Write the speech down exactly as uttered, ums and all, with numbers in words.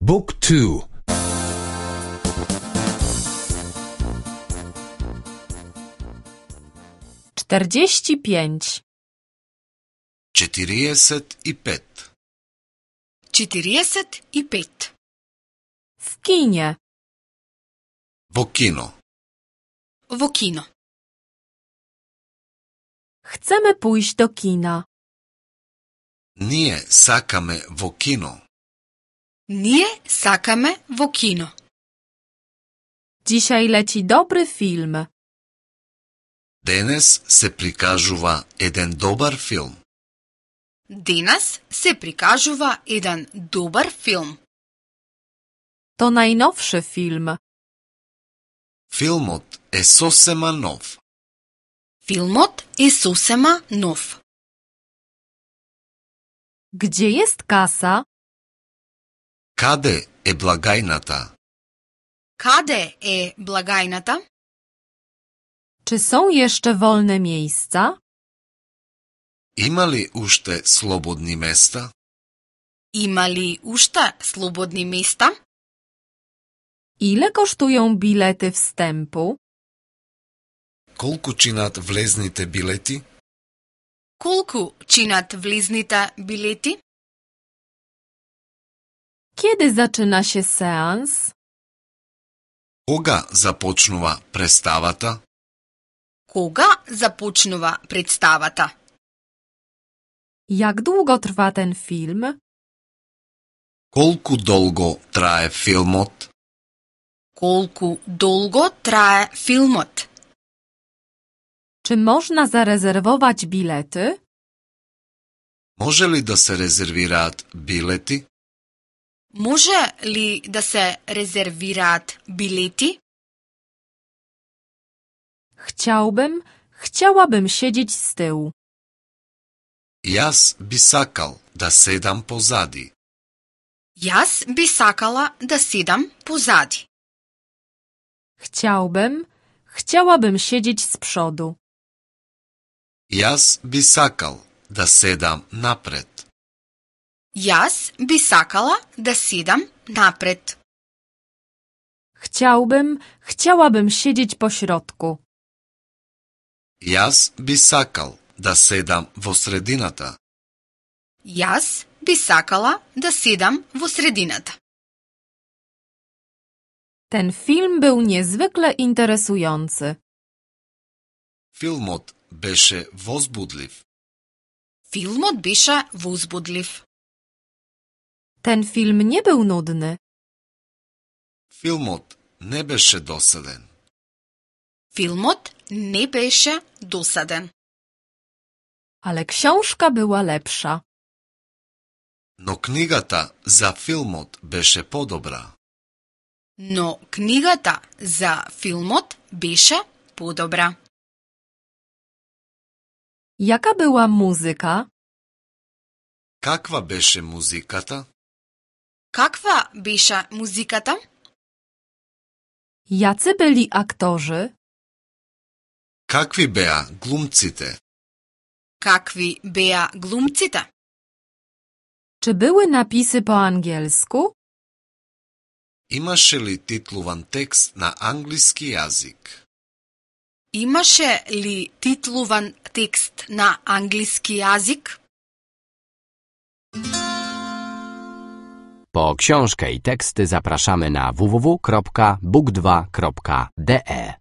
Book two. Czterdzieści pięć. Четириесет и пет. Четириесет и пет. W kinie. Во кино. Во кино. Chcemy pójść do kina. Ние сакаме во кино. Ние сакаме во кино. Dzisiaj leci dobry film. Денес се прикажува еден добар филм. Денес се прикажува еден добар филм. To najnowszy film. Филмот е сосема нов. Филмот е сосема нов. Gdzie jest kasa? Каде е благајната? Каде е благајната? Czy są jeszcze wolne miejsca? Има ли уште слободни места? Има ли уште слободни места? Ile kosztują bilety wstępu? Колку чинат влезните билети? Колку чинат влезните билети? Kiedy zaczyna się seans? Кога започнува представата? Кога започнува представата? Jak długo trwa ten film? Колку долго трае филмот? Колку долго трае филмот? Czy można zarezerwować bilety? Може ли да се резервираат билети? Може ли да се резервираат билети? Chciałbym, chciałabym siedzieć z tyłu. Јас би сакал да седам позади. Јас би сакала да седам позади. Chciałbym, chciałabym siedzieć z przodu. Јас би сакал да седам напред. Јас би сакала да седам напред. Chciałbym, chciałabym siedzieć po środku. Јас би сакал да седам во средината. Јас би сакала да седам во средината. Ten film był niezwykle interesujący. Филмот беше возбудлив. Филмот беше возбудлив. Ten film nie był nudny. Филмот не беше досаден. Филмот не беше досаден. Ale książka była lepsza. Но книгата за филмот беше подобра. Но книгата за филмот беше подобра. Jaka była muzyka? Каква беше музиката? Каква беше музиката? Jacy byli aktorzy? Какви беа глумците? Какви беа глумците? Czy były napisy po angielsku? Имаше ли титлуван текст на англиски јазик? Имаше ли титлуван текст на англиски јазик? Po książkę i teksty zapraszamy na w w w kropka book dwa kropka d e.